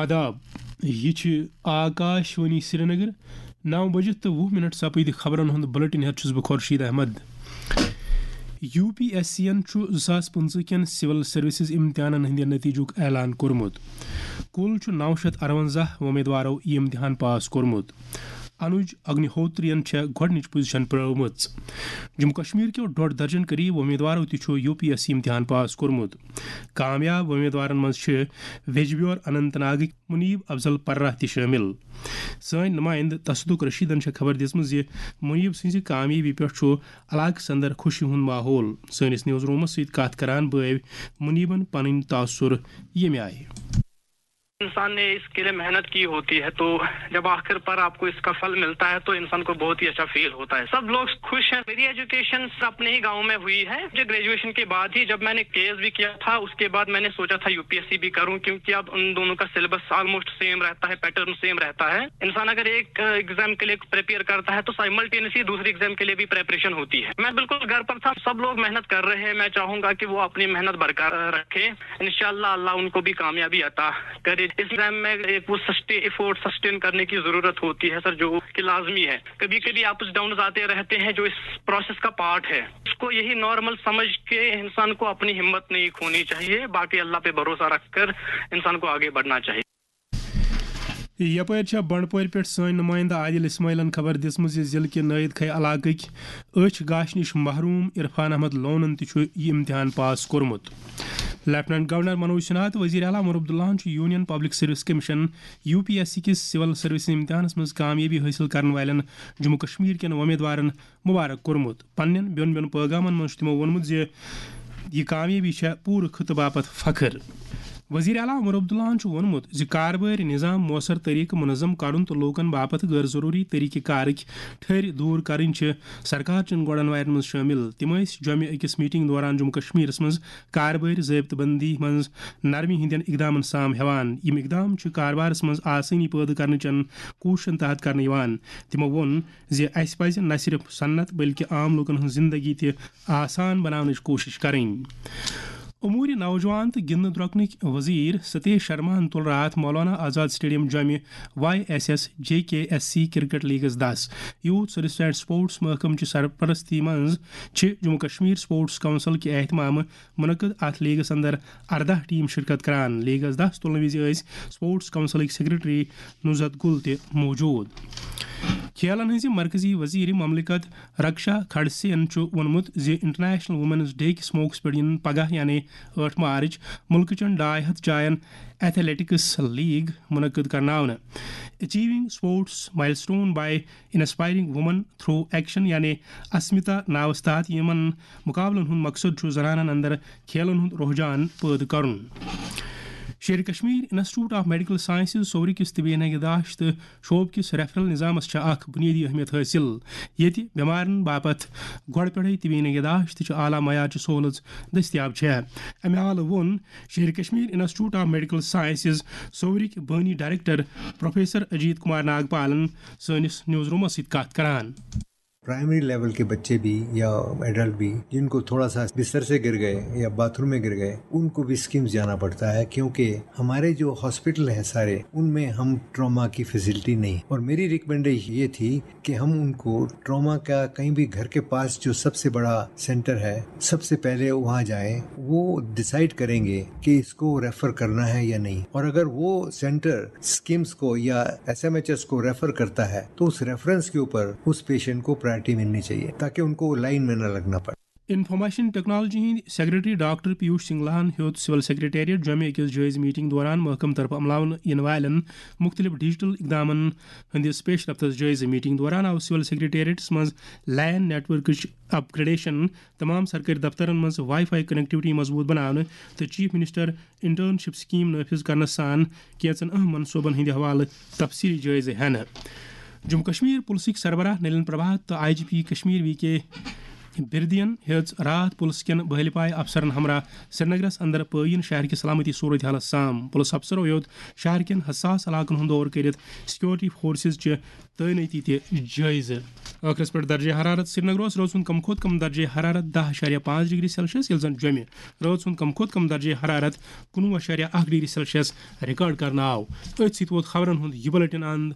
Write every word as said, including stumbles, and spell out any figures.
آداب، یہِ چھِ آکاش وانی سرینگر۔ نو بجہِ تہٕ وُہ منٹ سپٕدۍ خبرن ہُنٛد بلیٹن ہٮ۪تھ چھُس بہٕ Khurshid Ahmad. U P S C یَن چھُ زٕ ساس پٕنٛژٕہ کٮ۪ن سول سروسز امتحانن ہٕنٛدِ نتیجُک اعلان کوٚرمُت۔ کُل چھُ نو شیٚتھ اَرونٛزاہ وۄمیدوارو یہِ امتحان پاس کوٚرمُت۔ انوج اگنیہوتریَن چھےٚ گۄڈٕنِچ پوزیشن پرٲومٕژ۔ جموں کشمیر کیو ڈۄڈ درجن قریب وۄمیدوارو تہِ چھُ یو پی ایس سی امتحان پاس کوٚرمُت۔ کامیاب وۄمیدوارن منٛز چھِ ویجبیور اننت ناگٕکۍ منیب افضل پرہ تہِ شٲمِل۔ سٲنۍ نُمایندٕ تصدق رشیدن چھےٚ خبر دِژمٕژ زِ منیب سٕنٛزِ کامیٲبی پٮ۪ٹھ چھُ علاقس اندر خوشی ہُنٛد ماحول۔ سٲنِس نیوز رومس سۭتۍ کتھ کران بٲوۍ منیبن پنٕنۍ تاثر ییٚمہِ آیہِ۔ انسان نے اس کے لیے محنت کی ہوتی ہے، تو جب آخر پر آپ کو اس کا پھل ملتا ہے تو انسان کو بہت ہی اچھا فیل ہوتا ہے۔ سب لوگ خوش ہیں۔ میری ایجوکیشن اپنے ہی گاؤں میں ہوئی ہے۔ مجھے گریجویشن کے بعد ہی، جب میں نے کے ایس بھی کیا تھا، اس کے بعد میں نے سوچا تھا یو پی ایس سی بھی کروں، کیونکہ اب ان دونوں کا سلیبس آلموسٹ سیم رہتا ہے، پیٹرن سیم رہتا ہے۔ انسان اگر ایک ایگزام کے لیے پریپیئر کرتا ہے تو سائملٹینسلی دوسرے ایگزام کے لیے بھی پریپریشن ہوتی ہے۔ میں بالکل گھر پر تھا، سب لوگ محنت کر رہے ہیں۔ میں چاہوں گا کہ وہ اپنی محنت برقرار رکھیں۔ انشاءاللہ اللہ ان کو بھی کامیابی عطا کرے۔ اس ایگزام میں ایک وہ سسٹین، ایفورٹ سسٹین کرنے کی ضرورت ہوتی ہے سر، جو کہ لازمی ہے۔ کبھی کبھی اپس ڈاؤنز آتے رہتے ہیں، جو اس پروسیس کا پارٹ ہے۔ اس کو یہی نارمل سمجھ کے انسان کو اپنی ہمت نہیں کھونی چاہیے، باقی اللہ پہ بھروسہ رکھ کر انسان کو آگے بڑھنا چاہیے۔ یپٲرۍ چھےٚ بنڈپورِ پٮ۪ٹھ سٲنۍ نُمٲیندٕ عادل اسماعیلن خبر دِژمٕژ زِ ضلعہٕ کہِ نٲیِد کھے علاقٕکۍ أچھ گاشہِ نِش محروم عرفان احمد لونن تہِ چھُ یہِ امتحان پاس کوٚرمُت۔ لیفٹیننٹ گورنر منوج سنہا تہٕ وزیر اعلیٰ عمر عبداللہن چھُ union public service commission, U P S C کِس سول سروسز امتحانس منٛز کامیٲبی حٲصِل کرن والٮ۪ن جموں کشمیر کٮ۪ن وۄمیدوارن مبارک کوٚرمُت۔ پننٮ۪ن بیوٚن بیوٚن پٲغامن منٛز چھُ تِمو ووٚنمُت زِ یہِ کامیٲبی چھےٚ پوٗرٕ خطہٕ باپتھ فخر۔ وزیر اعلیٰ عمر عبداللہن چھُ ووٚنمُت زِ کاربٲرۍ نظام مؤثر طریقہٕ منظم کرُن تہٕ لوٗکن باپتھ غٲر ضروٗری طریقہٕ کارٕکۍ ٹھٔرۍ دوٗر کرٕنۍ چھِ سرکار چٮ۪ن گۄڈن وارٮ۪ن منٛز شٲمِل۔ تِم ٲسۍ جوٚمہِ أکِس میٹنگ دوران جموں کشمیرس منٛز کاربٲرۍ ضٲبطہٕ بندی منٛز نرمی ہٕنٛدٮ۪ن اقدامن سام ہٮ۪وان۔ یِم اقدام چھِ کاربارس منٛز آسٲنی پٲدٕ کرنہٕ چٮ۪ن کوٗششن تحت کرنہٕ یِوان۔ تِمو ووٚن زِ اسہِ پزِ نہ صرف صنعت بلکہ عام لوٗکن ہٕنٛز زندگی تہِ آسان بناونٕچ کوٗشش کرٕنۍ۔ امور نوجوان تہٕ گِنٛدنہٕ درۄکنٕکۍ وزیر ستیش شرماہن تُل راتھ مولانا آزاد سٹیڈیم جوٚمہِ واے ایس ایس جے کے ایس سی کرکٹ لیگس دس۔ یوتھ سروس اینڈ سپورٹس محکمہٕ چہِ سرپرستی منٛز چھِ جموں کشمیر سپورٹس کونسل کہِ اہتمامہٕ منعقد اتھ لیگس اندر ارداہ ٹیم شرکت کران۔ لیگس دس تُلنہٕ وِزِ ٲسۍ سپورٹس کونسلٕکۍ سیکرٹری نُزہت گُل تہِ موجود۔ کھیلن ہٕنٛزِ مرکزی وزیر مملکت رکشا کھڑسے یَن چھُ ووٚنمُت زِ انٹرنیشنل وومنز ڈے کِس موقعس پٮ۪ٹھ یِن پگاہ یعنی ٲٹھ مارچ مُلکہٕ چٮ۪ن ڈاے ہتھ جاین ایتھلیٹکس لیگ منعقد کرناونہٕ۔ Achieving Sports Milestone by Inspiring Women Through Action یعنی اسمتا ناوس تحت یِمن مقابلن ہُنٛد مقصد چھُ زنانن اندر کھیلن ہُنٛد رجحان پٲدٕ کرُن۔ Sher Kashmir institute of medical sciences سورِ کِس طبی نگہداشت تہٕ شعبہٕ کِس ریفرل نظامس چھےٚ اکھ بنیٲدی اہمیت حٲصِل، ییٚتہِ بٮ۪مارن باپتھ گۄڈٕ پٮ۪ٹھے طبی نگہداشت تہٕ اعلیٰ معیارچہِ سہولژ دٔستیاب چھےٚ۔ امہِ علاوٕ ووٚن Sher Kashmir institute of medical sciences سورٕکۍ بٲنی ڈائریکٹر پروفیسر اجیت کمار ناگپالن سٲنِس نیوز رومس سۭتۍ کتھ کران۔ پرائمری لیول کے بچے بھی یا ایڈلٹ بھی جن کو تھوڑا سا بستر سے گر گئے یا باتھ روم میں گر گئے، ان کو بھی اسکمس جانا پڑتا ہے، کیونکہ ہمارے جو ہاسپٹل ہیں سارے، ان میں ہم ٹراما کی فیسلٹی نہیں۔ اور میری ریکمنڈیشن یہ تھی کہ ہم ان کو ٹراما کا کہیں بھی گھر کے پاس جو سب سے بڑا سینٹر ہے، سب سے پہلے وہاں جائیں، وہ ڈسائڈ کریں گے کہ اس کو ریفر کرنا ہے یا نہیں۔ اور اگر وہ سینٹر اسکمس کو یا ایس ایم ایچ ایس کو ریفر کرتا ہے، تو اس ریفرنس کے اوپر اس پیشنٹ کو پرائرٹی ملنی چاہیے، تاکہ ان کو لائن میں نہ لگنا پڑے۔ انفارمیشن ٹیکنالوجی ہٕنٛدۍ سیکرٹری ڈاکٹر پیوش سنگلاہن ہیوٚت سول سیکرٹریٹ جوٚمہِ أکِس جٲیزٕ میٹنگ دوران محکمہٕ طرفہٕ عملاونہٕ یِنہٕ والٮ۪ن مُختٔلِف ڈیجیٹل اقدامن ہٕنٛدِس پیش رفتس جٲیزٕ۔ میٹنگ دوران آو سول سیکرٹریٹس منٛز لین نیٹ ورکٕچ اپ گریڈیشن، تمام سرکٲرۍ دفترن منٛز واے فاے کنیکٹیوٹی مضبوط بناونہٕ تہٕ چیف منسٹر انٹرنشپ سکیم نافذ کرنس سان کینژن اہم منصوبن ہٕنٛدِ حوالہٕ تفصیلی جٲیزٕ ہینہٕ۔ جموں کشمیر پُلسٕکۍ سربراہ نلین پربھات تہٕ I G P Kashmir V K بردین ہیٚژ راتھ پُلس کٮ۪ن بحٲلۍ پایہِ افسرن ہمراہ سرینگرس اندر پٲیِن شہر کہِ سلامتی صورت حالس سام۔ پُلس افسرو ہیوٚت شہر کٮ۪ن حساس علاقن ہُنٛد دورٕ کٔرِتھ سیکورٹی فورسز چہِ تعینٲتی تہِ جٲیزٕ۔ ٲخرس پٮ۪ٹھ درجہ حرارت۔ سرینگرس رٲژ ہُنٛد کم کھۄتہٕ کم درجہ حرارت دَہ اَشاریہ پانٛژھ ڈگری سیلسیس، ییٚلہِ زن جوٚمہِ رٲژ ہُنٛد کم کھۄتہٕ کم درجہ حرارت کُنوُہ اَشاریہ اَکھ ڈگری سیلسیس ریکارڈ کرنہٕ آو۔ أتھۍ سۭتۍ ووت خبرن ہُنٛد یہِ بُلٹن اند۔